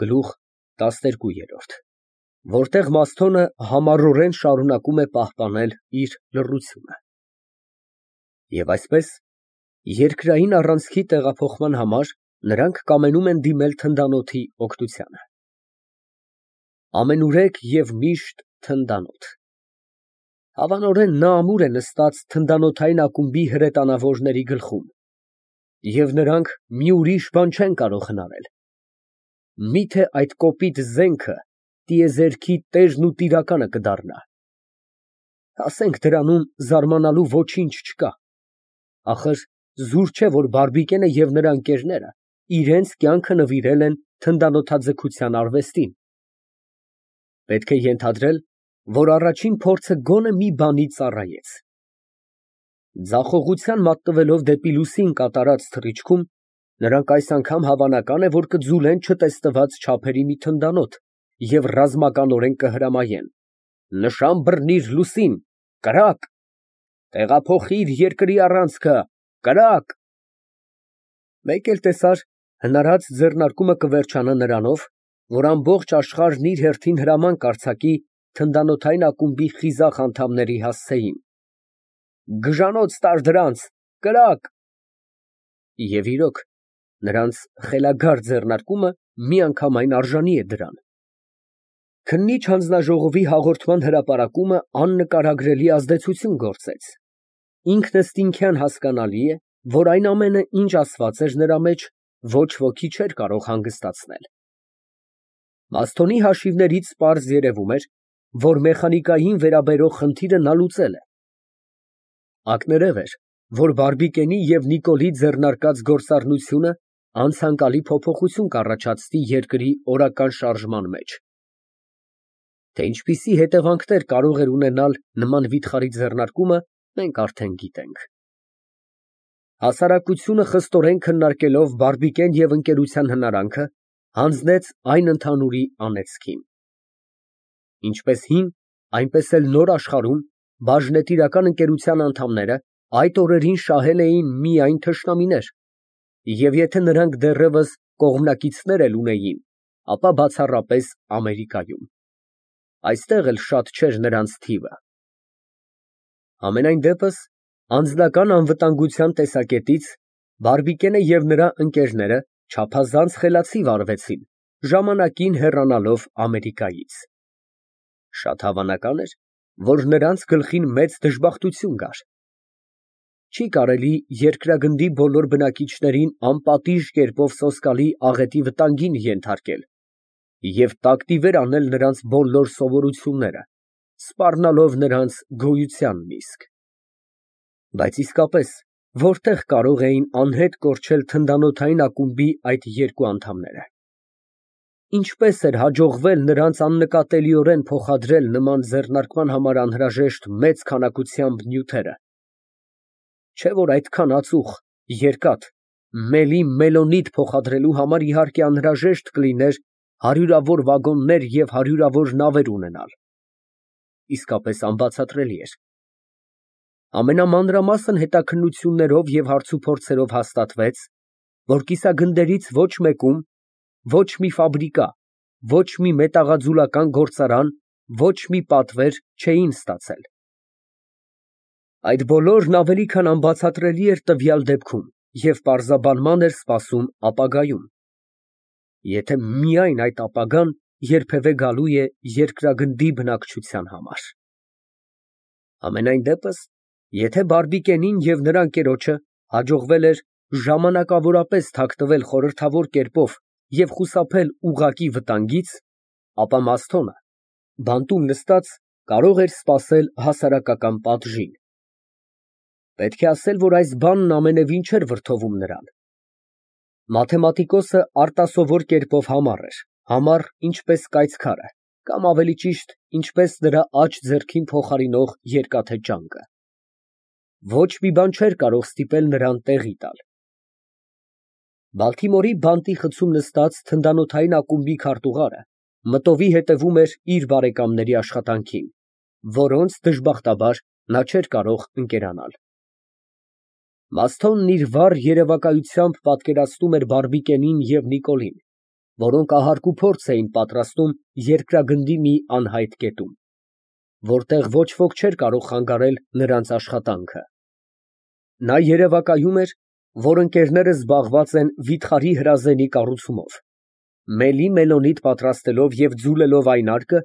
Գլուխ տասներկուերորդ, որտեղ Մասթոնը համառորեն շարունակում է պահպանել իր լռությունը։ Եվ այսպես, երկրային առանցքի տեղափոխման համար նրանք կամենում են դիմել թնդանոթի օգնությանը։ Ամենուրեք և միշտ թնդանոթ։ Հավանորեն նա ամուր է նստած թնդանոթային ակումբի հրետանավորների գլխում, և նրանք մի ուրիշ բան չեն կարող հնարել։ Միթե այդ կոպիտ զենքը տիեզերքի տերն ու տիրակալը կդառնա։ Ասենք դրանում զարմանալու ոչինչ չկա։ Ախր զուր չէ, որ Բարբիկենը և նրա ընկերները իրենց կյանքը նվիրել են թնդանոթաձգության արվեստին։ Պետք է ենթադրել, որ առաջին փորձը գոնե մի բանի ծառայեց։ Ձախողության մատնվելով դեպի լուսին կատարած թռիչքում, նրանք այս անգամ հավանական է, որ կձուլեն չտեսնված չափերի մի թնդանոթ և ռազմականորեն կհրամայեն. «Նշան բռնիր լուսին, կրակ, տեղափոխիր երկրի առանցքը, կրակ»։ Մեկ էլ տեսար, հնարած ձեռնարկումը կվերջանա նրանով, որ ամբողջ աշխարհն իր հերթին հրաման կարձակի թնդանոթային ակումբի խիզախ անդամների հասցեին. «Գժանոց տար դրանց, կրակ»։ Եվ իրոք, նրանց խելագար ձեռնարկումը միանգամայն արժանի է դրան։ Քննիչ հանձնաժողովի հաղորդման հրապարակումը աննկարագրելի ազդեցություն գործեց։ Ինքնըստինքյան հասկանալի է, որ այն ամենը, ինչ ասված էր նրա մեջ, ոչ ոքի չէր կարող հանգստացնել։ Մասթոնի հաշիվներից պարզ երևում էր, որ մեխանիկային վերաբերող խնդիրը նա լուծել է։ Ակներև էր, որ Բարբիկենի և Նիկոլի ձեռնարկած գործառնությունը անցանկալի փոփոխություն կառաջացնի երկրի օրական շարժման մեջ։ Թե ինչպիսի հետևանքներ կարող էր ունենալ նման վիթխարի ձեռնարկումը, մենք արդեն գիտենք։ Հասարակությունը խստորեն քննարկելով Բարբիկեն և ընկերության հնարանքը, հանձնեց այն ընդհանուրի անեծքին։ Ինչպես հին, այնպես էլ նոր աշխարհում բաժնետիրական ընկերության անդամները այդ օրերին շահել էին միայն թշնամիներ, և եթե նրանք դեռևս կողմնակիցներ էլ ունեին, ապա բացառապես Ամերիկայում։ Այստեղ էլ շատ չէր նրանց թիվը։ Համենայն դեպս, անձնական անվտանգության տեսակետից Բարբիկենը և նրա ընկերները չափազանց խելացի վարվեցին, ժամանակին հեռանալով Ամերիկայից։ Շատ հավանական էր, որ նրանց գլխին մեծ դժբախտություն գար։ Չի կարելի երկրագնդի բոլոր բնակիչներին անպատիժ կերպով սոսկալի աղետի վտանգին ենթարկել և տակտիվեր անել նրանց բոլոր սովորությունները, սպառնալով նրանց գոյությանն իսկ։ Բայց իսկապես, որտեղ կարող էին անհետ կորչել թնդանոթային ակումբի այդ երկու անդամները։ Ինչպես էր հաջողվել նրանց աննկատելիորեն փոխադրել նման ձեռնարկման համար անհրաժեշտ մեծ քանակությամբ նյութերը։ Չէ՞ որ այդքան ածուխ, երկաթ, մելի մելոնիտ փոխադրելու համար իհարկե անհրաժեշտ կլիներ հարյուրավոր վագոններ և հարյուրավոր նավեր ունենալ։ Իսկապես անբացատրելի էր։ Ամենամանրամասն հետաքննություններով և հարցուփորձերով հաստատվեց, որ կիսագնդերից ոչ մեկում ոչ մի ֆաբրիկա, ոչ մի մետաղաձուլական գործարան, ոչ մի պատվեր չէին ստացել։ Այդ բոլորն ավելի քան անբացատրելի էր տվյալ դեպքում և պարզաբանման էր սպասում ապագայում։ Եթե միայն այդ ապագան երբևէ գալու է երկրագնդի բնակչության համար։ Համենայն դեպս, եթե Բարբիկենին և նրա ընկերոջը հաջողվել էր ժամանակավորապես թաքնվել խորհրդավոր կերպով և խուսափել ուղղակի վտանգից, ապա Մասթոնը, բանտում նստած, կարող էր սպասել հասարակական պատժին։ Պետք է ասել, որ այս բանն ամենևին չէր վրդովում նրան։ Մաթեմատիկոսը արտասովոր կերպով համառ, ինչպես կայծքարը, կամ ավելի ճիշտ, ինչպես նրա աջ ձեռքին փոխարինող երկաթե ճանկը։ Ոչ մի բան չէր կարող ստիպել նրան տեղի տալ։ Բալթիմորի բանտի խցում նստած թնդանոթային ակումբի քարտուղարը մտովի հետևում էր իր բարեկամների աշխատանքին, որոնց դժբախտաբար նա չէր կարող ընկերանալ։ Մասթոնն իր վառ երևակայությամբ պատկերացնում էր Բարբիկենին և Նիկոլին, որոնք ահարկ ու փորձ էին պատրաստում երկրագնդի մի անհայտ կետում, որտեղ ոչ ոք չէր կարող խանգարել նրանց աշխատանքը։ Նա երևակայում էր, որ ընկերները զբաղված են վիթխարի հրազենի կառուցումով, մելի մելոնիտ պատրաստելով և ձուլելով այն արկը,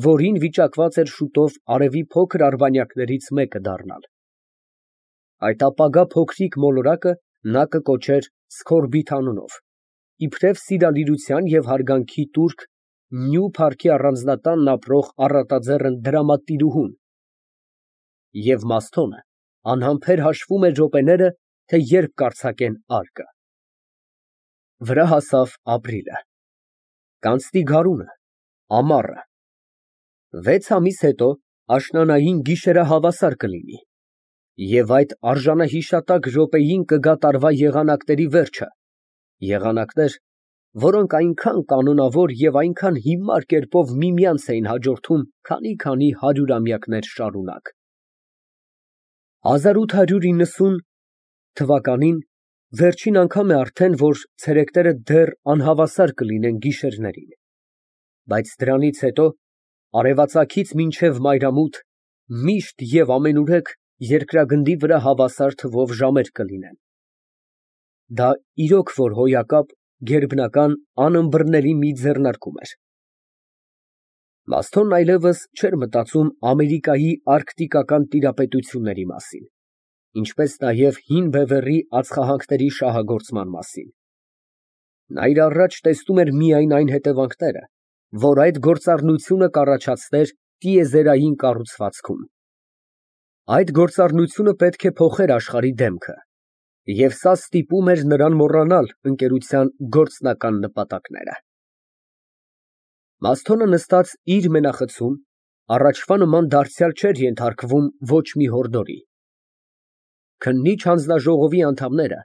որին վիճակված էր շուտով արևի փոքր արբանյակներից մեկը դառնալ։ Այդ ապագա փոքրիկ մոլորակը նա կկոչեր Սքորբիթ անունով, իբրև սիրալիրության և հարգանքի տուրք Նյու Փարքի առանձնատանն ապրող առատաձեռն դրամատիրուհուն։ Եվ Մասթոնը անհամբեր հաշվում էր րոպեները, թե երբ կարձակեն արկը։ Վրա հասավ ապրիլը, կանցնի գարունը, ամառը, 6 ամիս հետո աշնանային գիշերը հավասար կլինի, և այդ արժանահիշատակ րոպեին կգա տարվա եղանակների վերջը, եղանակներ, որոնք այնքան կանոնավոր և այնքան հիմար կերպով միմյանց էին հաջորդում քանի հարյուրամյակներ շարունակ։ 1890 թվականին վերջին անգամ է արդեն, որ ցերեկները դեռ անհավասար կլինեն գիշերներին, բայց դրանից հետո արևածագից մինչև մայրամուտ միշտ և ամենուրեք երկրագնդի վրա հավասար թվով ժամեր կլինեն։ Դա իրոք որ հոյակապ, գերբնական, անըմբռնելի մի ձեռնարկում էր։ Մասթոնն այլևս չէր մտածում Ամերիկայի արկտիկական տիրապետությունների մասին, ինչպես նաև հին բևեռի ածխահանքների շահագործման մասին։ Նա իր առաջ տեսնում էր միայն այն հետևանքները, որ այդ գործառնությունը կառաջացներ տիեզերային կառուցվածքում։ Այդ գործառնությունը պետք է փոխեր աշխարհի դեմքը, և սա ստիպում էր նրան մոռանալ ընկերության գործնական նպատակները։ Մասթոնը նստած իր մենախցում, առաջվա նման դարձյալ չէր ենթարկվում ոչ մի հորդորի։ Քննիչ հանձնաժողովի անդամները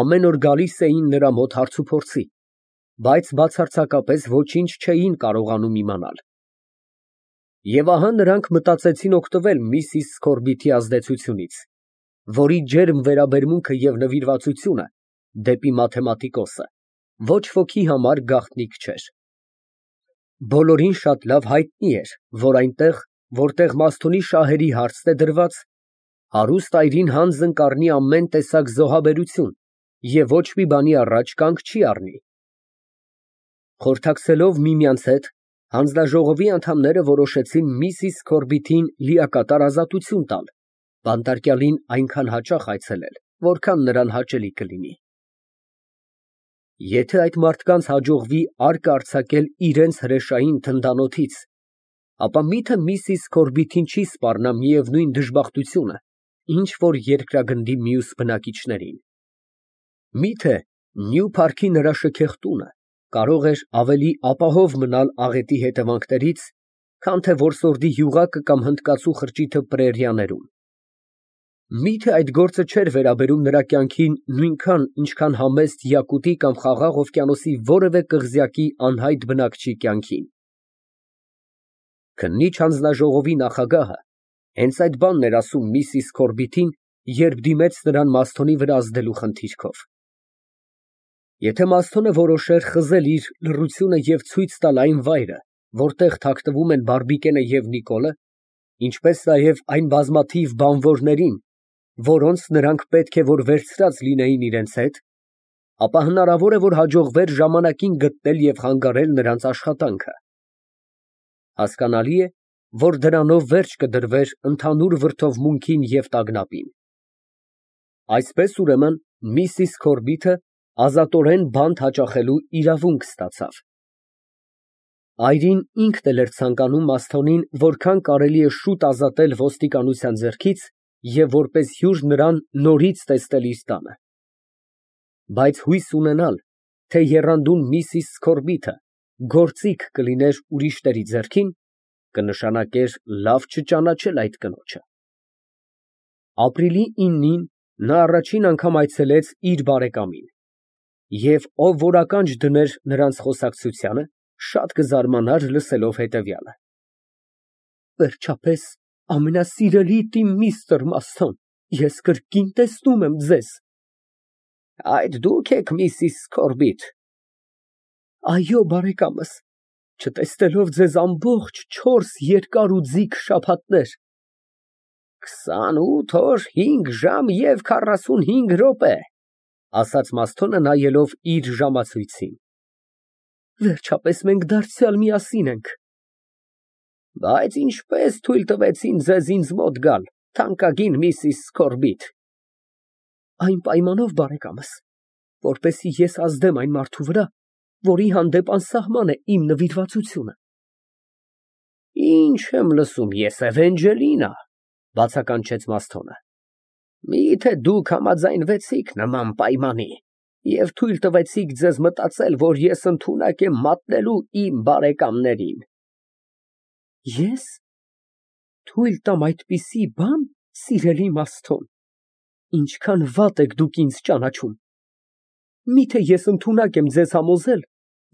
ամեն օր գալիս էին նրա մոտ հարցուփորձի, բայց բացարձակապես ոչինչ չէին կարողանում իմանալ։ Եվ ահա նրանք մտածեցին օգտվել միսիս Սքորբիթի ազդեցությունից, որի ջերմ վերաբերմունքը և նվիրվածությունը դեպի մաթեմատիկոսը ոչ ոքի համար գաղտնիք չէր։ Բոլորին շատ լավ հայտնի էր, որ այնտեղ, որտեղ Մասթոնի շահերի հարցն է դրված, հարուստ այրին հանձն կառնի ամեն տեսակ զոհաբերություն և ոչ մի բանի առաջ կանգ չի առնի։ Խորհրդակցելով միմյանց հետ, հանձնաժողովի անդամները որոշեցին միսիս Սքորբիթին լիակատար ազատություն տալ, բանտարկյալին այնքան հաճախ այցելել, որքան նրան հաճելի կլինի։ Եթե այդ մարդկանց հաջողվի արկը արձակել իրենց հրեշային թնդանոթից, ապա միթե միսիս Սքորբիթին չի սպառնա միևնույն դժբախտությունը, ինչ որ երկրագնդի մյուս բնակիչներին։ Միթե Նյու Փարքի նրա շքեղ տունը կարող էր ավելի ապահով մնալ աղետի հետևանքներից, քան թե որսորդի յուղակը կամ հնդկացու խրճիթը պրերիաներում։ Միթե այդ գործը չէր վերաբերում նրա կյանքին նույնքան, ինչքան համեստ յակուտի կամ Խաղաղ օվկիանոսի որևէ կղզյակի անհայտ բնակչի կյանքին։ Քննիչ հանձնաժողովի նախագահը հենց այդ բանն էր ասում միսիս Սքորբիթին, երբ դիմեց նրան Մասթոնի վրա ազդելու խնդիրքով։ Եթե Մասթոնը որոշեր խզել իր լռությունը և ցույց տալ այն վայրը, որտեղ թաքնվում են Բարբիկենը և Նիկոլը, ինչպես նաև այն բազմաթիվ բանվորներին, որոնց նրանք պետք է որ վերցրած լինեին իրենց հետ, ապա հնարավոր է, որ հաջողվեր ժամանակին գտնել և խանգարել նրանց աշխատանքը։ Հասկանալի է, որ դրանով վերջ կդրվեր ընդհանուր վրդովմունքին և տագնապին։ Այսպես ուրեմն միսիս Սքորբիթը ազատորեն բանտ հաճախելու իրավունք ստացավ։ Այրին ինքն էլ էր ցանկանում Մասթոնին որքան կարելի է շուտ ազատել ոստիկանության ձեռքից և որպես հյուր նրան նորից տեսնել իր տանը։ Բայց հույս ունենալ, թե եռանդուն միսիս Սքորբիթը գործիք կլիներ ուրիշների ձեռքին, կնշանակեր լավ չճանաչել այդ կնոջը։ Ապրիլի 9-ին նա առաջին անգամ այցելեց իր բարեկամին, և ով որ ականջ դներ նրանց խոսակցությանը, շատ կզարմանար լսելով հետևյալը. Վերջապես, ամենասիրելի միստր Մասթոն, ես կրկին տեսնում եմ ձեզ։ Այդ դուք եք, միսիս Սքորբիթ։ Այո, բարեկամս, չտեսնելով ձեզ ամբողջ 4 երկար ու ձիգ շաբաթներ։ 28 օր, 5 ժամ և 45 րոպե, ասաց Մասթոնը նայելով իր ժամացույցին։ Վերջապես մենք դարձյալ միասին ենք։ Բայց ինչպես թույլ տվեցին ձեզ ինձ մոտ գալ, թանկագին Միսիս Սքորբիթ։ Այն պայմանով, բարեկամս, որպեսզի ես ազդեմ այն մարդու վրա, որի հանդեպ անսահման է իմ նվիրվածությունը։ Ինչ եմ լսում ես, Էվենջելինա, բացականչեց Մասթոնը։ Միթե դուք համաձայնվեցիք նման պայմանի և թույլ տվեցիք ձեզ մտածել, որ ես ընդունակ եմ մատնելու իմ բարեկամներին։ Ես թույլ տամ այդպիսի բան, սիրելի Մասթոն, ինչքան վատ եք դուք ինձ ճանաչում։ Միթե ես ընդունակ եմ ձեզ համոզել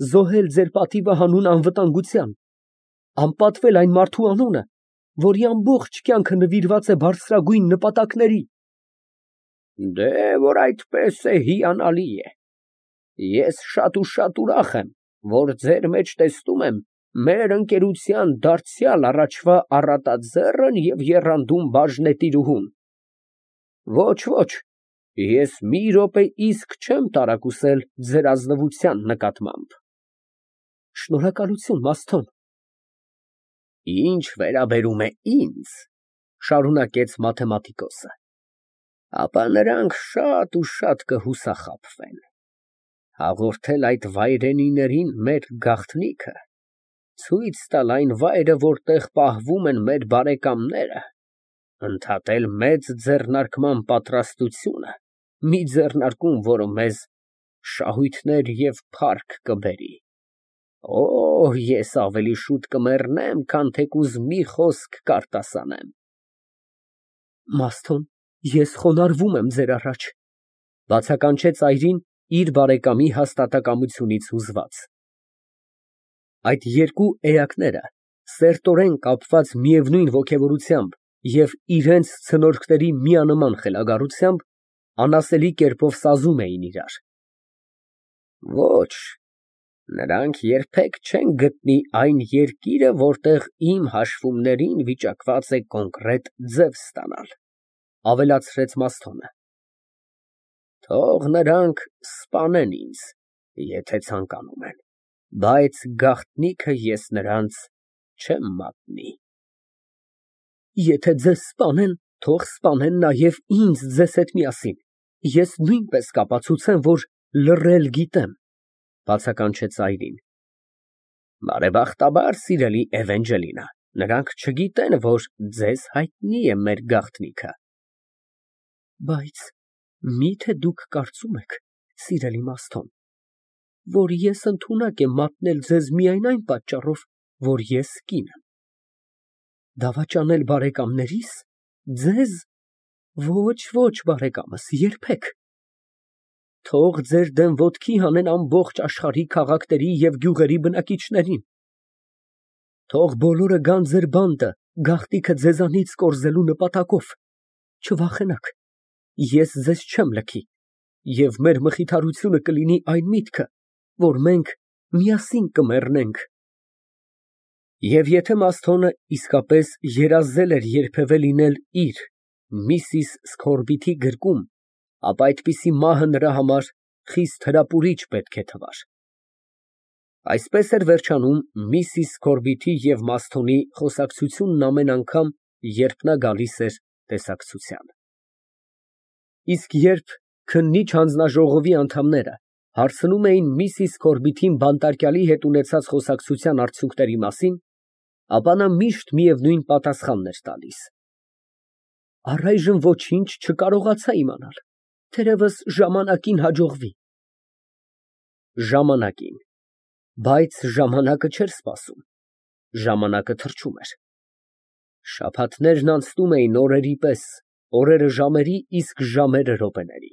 զոհել ձեր պատիվը հանուն անվտանգության, անպատվել այն մարդու անունը, որի ամբողջ կյանքը նվիրված է բարձրագույն նպատակների։ Դե, որ այդպես է, հիանալի է։ Ես շատ ու շատ ուրախ եմ, որ ձեր մեջ տեսնում եմ մեր ընկերության դարձյալ առաջվա առատաձեռն և եռանդուն բաժնետիրուհուն։ Ոչ, ոչ, ես մի րոպե իսկ չեմ տարակուսել ձեր ազնվության նկատմամբ։ Շնորհակալություն, Մասթոն։ Ինչ վերաբերում է ինձ, շարունակեց մաթեմատիկոսը, ապա նրանք շատ ու շատ կհուսախաբվեն։ Հաղորդել այդ վայրենիներին մեր գաղտնիքը, ցույց տալ այն վայրը, որտեղ պահվում են մեր բարեկամները, ընդհատել մեծ ձեռնարկման պատրաստությունը, մի ձեռնարկում, որը մեզ շահույթներ և փառք կբերի։ Օ, ես ավելի շուտ կմեռնեմ, քան թեկուզ մի խոսք կարտասանեմ։ Մասթոն, ես խոնարհվում եմ ձեր առաջ, բացականչեց այրին իր բարեկամի հաստատակամությունից հուզված։ Այդ երկու էակները, սերտորեն կապված միևնույն ոգևորությամբ և իրենց ցնորքների միանման խելագարությամբ, անասելի կերպով սազում էին իրար։ Ոչ, նրանք երբեք չեն գտնի այն երկիրը, որտեղ իմ հաշվումներին վիճակված է կոնկրետ ձև ստանալ, ավելացրեց Մասթոնը։ Թող նրանք սպանեն ինձ, եթե ցանկանում են, բայց գաղտնիքը ես նրանց չեմ մատնի։ Եթե ձեզ սպանեն, թող սպանեն նաև ինձ ձեզ հետ միասին, ես նույնպես կապացուցեմ, որ լռել գիտեմ, բացականչեց այրին։ Բարեբախտաբար, սիրելի Էվենջելինա, նրանք չգիտեն, որ ձեզ հայտնի է մեր գաղտնիքը։ Բայց միթե դուք կարծում եք, սիրելի Մասթոն, որ ես ընդունակ եմ մատնել ձեզ միայն այն պատճառով, որ ես կին եմ։ Դավաճանել բարեկամներիս, ձեզ, ոչ, ոչ, բարեկամս, երբեք։ Թող ձեր դեմ ոտքի հանեն ամբողջ աշխարհի քաղաքների և գյուղերի բնակիչներին։ Թող բոլորը գան ձեր բանտը գաղտնիքը ձեզանից կորզելու նպատակով, չվախենաք, ես ձեզ չեմ լքի, և մեր մխիթարությունը կլինի այն միտքը, որ մենք միասին կմեռնենք։ Եվ եթե Մասթոնը իսկապես երազել էր երբևէ լինել իր, Միսիս Սքորբիթի գրկում, ապա այդպիսի մահը նրա համար խիստ հրապուրիչ պետք է թվար։ Այսպես էր վերջանում Միսիս Սքորբիթի և Մասթոնի խոսակցությունն ամեն անգամ, երբ նա գալիս էր տեսակցության։ Իսկ երբ քննիչ հանձնաժողովի անդամները հարցնում էին Միսիս Սքորբիթին բանտարկյալի հետ ունեցած խոսակցության արդյունքների մասին, ապա նա միշտ միևնույն պատասխանն էր տալիս. Առայժմ ոչինչ չկարողացա իմանալ, թերևս ժամանակին հաջողվի։ Ժամանակին, բայց ժամանակը չէր սպասում, ժամանակը թռչում էր։ Շաբաթներն անցնում էին օրերի պես, օրերը ժամերի, իսկ ժամերը րոպեների։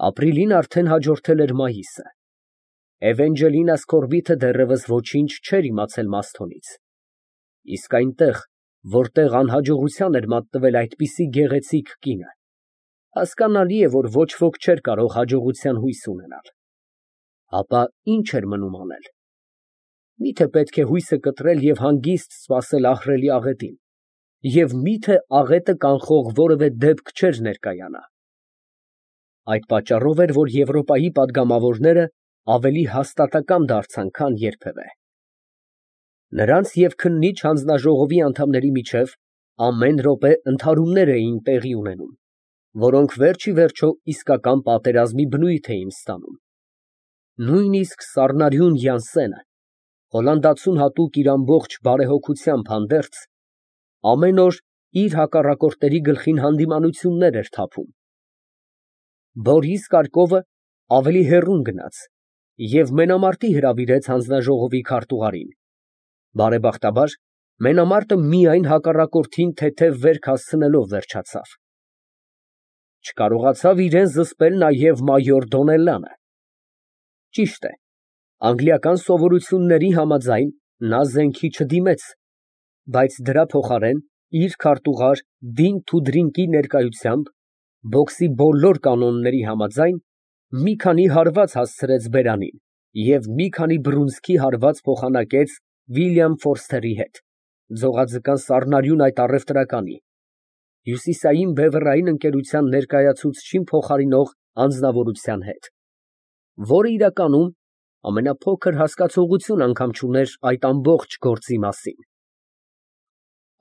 Ապրիլին արդեն հաջորդել էր մայիսը։ Էվենջելինա Սքորբիթը դեռևս ոչինչ չէր իմացել Մասթոնից։ Իսկ այնտեղ, որտեղ անհաջողության էր մատնվել այդպիսի գեղեցիկ կինը, հասկանալի է, որ ոչ ոք չէր կարող հաջողության հույս ունենալ։ Ապա ինչ էր մնում անել։ Միթե պետք է հույսը կտրել և հանգիստ սպասել ահռելի աղետին, և միթե աղետը կանխող որևէ դեպք չէր ներկայանա։ Այդ պատճառով էր, որ Եվրոպայի պատգամավորները ավելի հաստատակամ դարձան, քան երբևէ։ Նրանց և քննիչ հանձնաժողովի անդամների միջև ամեն րոպե ընդհարումներ էին տեղի ունենում, որոնք վերջ ի վերջո իսկական պատերազմի բնույթ էին ստանում։ Նույնիսկ սառնարյուն Յանսենը, Հոլանդացուն հատուկ իր ամբողջ բարեհոգությամբ հանդերձ, ամեն օր իր հակառակորդների գլխին հանդիմանություններ էր թափում։ Բորիս Կարկովը ավելի հեռուն գնաց և մենամարտի հրավիրեց հանձնաժողովի քարտուղարին։ Բարեբախտաբար, մենամարտը միայն հակառակորդին թեթև վերք հասցնելով վերջացավ։ Չկարողացավ իրան զսպել նաև մայոր Դոնելլանը։ Ճիշտ է, անգլիական սովորությունների համաձայն նա զենքի չդիմեց, բայց դրա փոխարեն իր քարտուղար Դին Թուդրինկի ներկայությամբ բոքսի բոլոր կանոնների համաձայն մի քանի հարված հասցրեց բերանին և մի քանի բռունցքի հարված փոխանակեց Վիլյամ Ֆորսթերի հետ, ձողաձկան սառնարյուն այդ առևտրականի, հյուսիսային բևեռային ընկերության ներկայացուցչին փոխարինող անձնավորության հետ, որը իրականում ամենափոքր հասկացողություն անգամ չուներ այդ ամբողջ գործի մասին։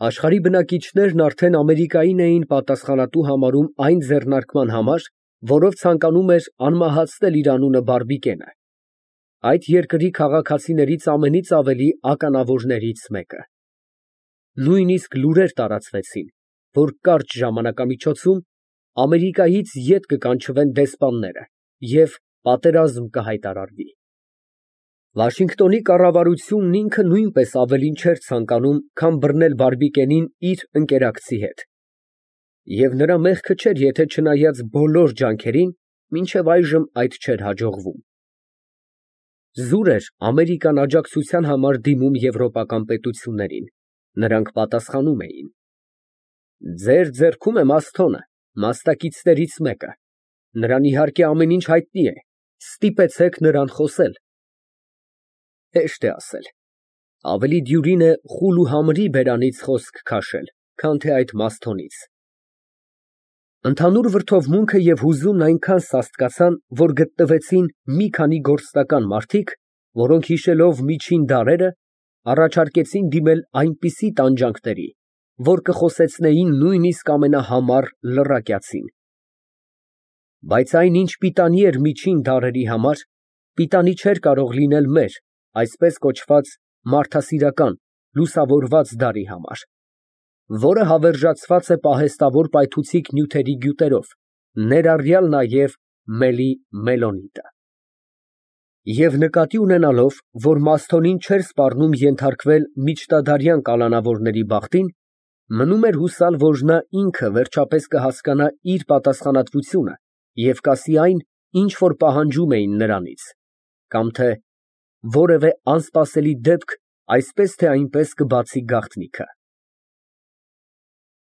Աշխարհի բնակիչներն արդեն Ամերիկային էին պատասխանատու համարում այն ձեռնարկման համար, որով ցանկանում էր անմահացնել իր անունը Բարբիկենը, այդ երկրի քաղաքացիներից ամենից ավելի ականավորներից մեկը։ Նույնիսկ լուրեր տարածվեցին, որ կարճ ժամանակամիջոցում Ամերիկայից ետ կկանչվեն դեսպանները և պատերազմ կհայտարարվի։ Վաշինգտոնի կառավարությունն ինքը նույնպես ավելին չէր ցանկանում, քան բռնել Բարբիկենին իր ընկերակցի հետ։ Եվ նրա մեղքը չէր, եթե չնայած բոլոր ջանքերին, մինչև այժմ այդ չէր հաջողվում։ Զուր էր Ամերիկան աջակցության համար դիմում եվրոպական պետություններին, նրանք պատասխանում էին. Ձեր ձեռքում է Մասթոնը, մասնակիցներից մեկը, նրան իհարկե ամեն ինչ հայտնի է, ստիպեցեք նրան խոսել։ Հեշտ է ասել, ավելի դյուրին է խուլ ու համրի բերանից խոսք քաշել, քան թե այդ Մասթոնից։ Ընդհանուր վրդովմունքը և հուզումն այնքան սաստկացան, որ գտնվեցին մի քանի գործնական մարդիկ, որոնք հիշելով միջին դարերը, առաջարկեցին դիմել այնպիսի տանջանքների, որ կխոսեցնեին նույնիսկ ամենահամար լռակյացին։ Բայց այն, ինչ պիտանի էր միջին դարերի համար, պիտանի չէր կարող լինել մեր, այսպես կոչված մարդասիրական, լուսավորված դարի համար, որը հավերժացված է պահեստավոր պայթուցիկ նյութերի գյուտերով, ներառյալ նաև մելի մելոնիտը։ Եվ նկատի ունենալով, որ Մասթոնին չէր սպառնում ենթարկվել միջնադարյան կալանավորների բախտին, մնում էր հուսալ, որ նա ինքը վերջապես կհասկանա իր պատասխանատվությունը և կասի այն, ինչ որ պահանջում էին նրանից, կամ թե որևէ անսպասելի դեպք այսպես թե այնպես կբացի գաղտնիքը։